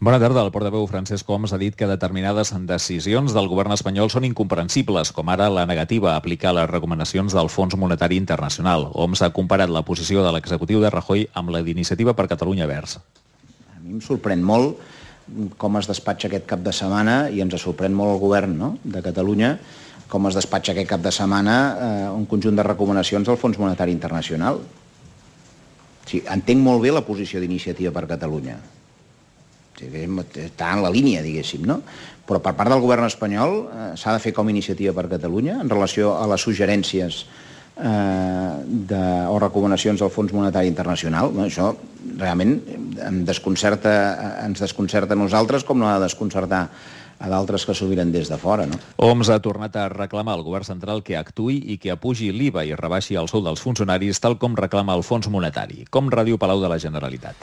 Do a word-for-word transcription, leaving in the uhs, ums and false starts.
Bona tarda. El portaveu Francesc Homs ha dit que determinades decisions del govern espanyol són incomprensibles, com ara la negativa a aplicar les recomanacions del Fons Monetari Internacional. Homs ha comparat la posició de l'executiu de Rajoy amb la d'Iniciativa per Catalunya Verds. A mi em sorprèn molt com es despatxa aquest cap de setmana, i ens sorprèn molt el govern, no?, de Catalunya, com es despatxa aquest cap de setmana eh, un conjunt de recomanacions del Fons Monetari Internacional. Sí, entenc molt bé la posició d'Iniciativa per Catalunya. Sí, està en la línia, diguéssim, no? Però per part del govern espanyol eh, s'ha de fer com Iniciativa per Catalunya en relació a les suggerències eh, de, o recomanacions del Fons Monetari Internacional. No? Això realment em desconcerta, ens desconcerta a nosaltres, com no ha de desconcertar a d'altres que s'ho miren des de fora, no? Homs ha tornat a reclamar al govern central que actuï i que apugi l'I V A i rebaixi el sou dels funcionaris, tal com reclama el Fons Monetari. Com Ràdio Palau de la Generalitat.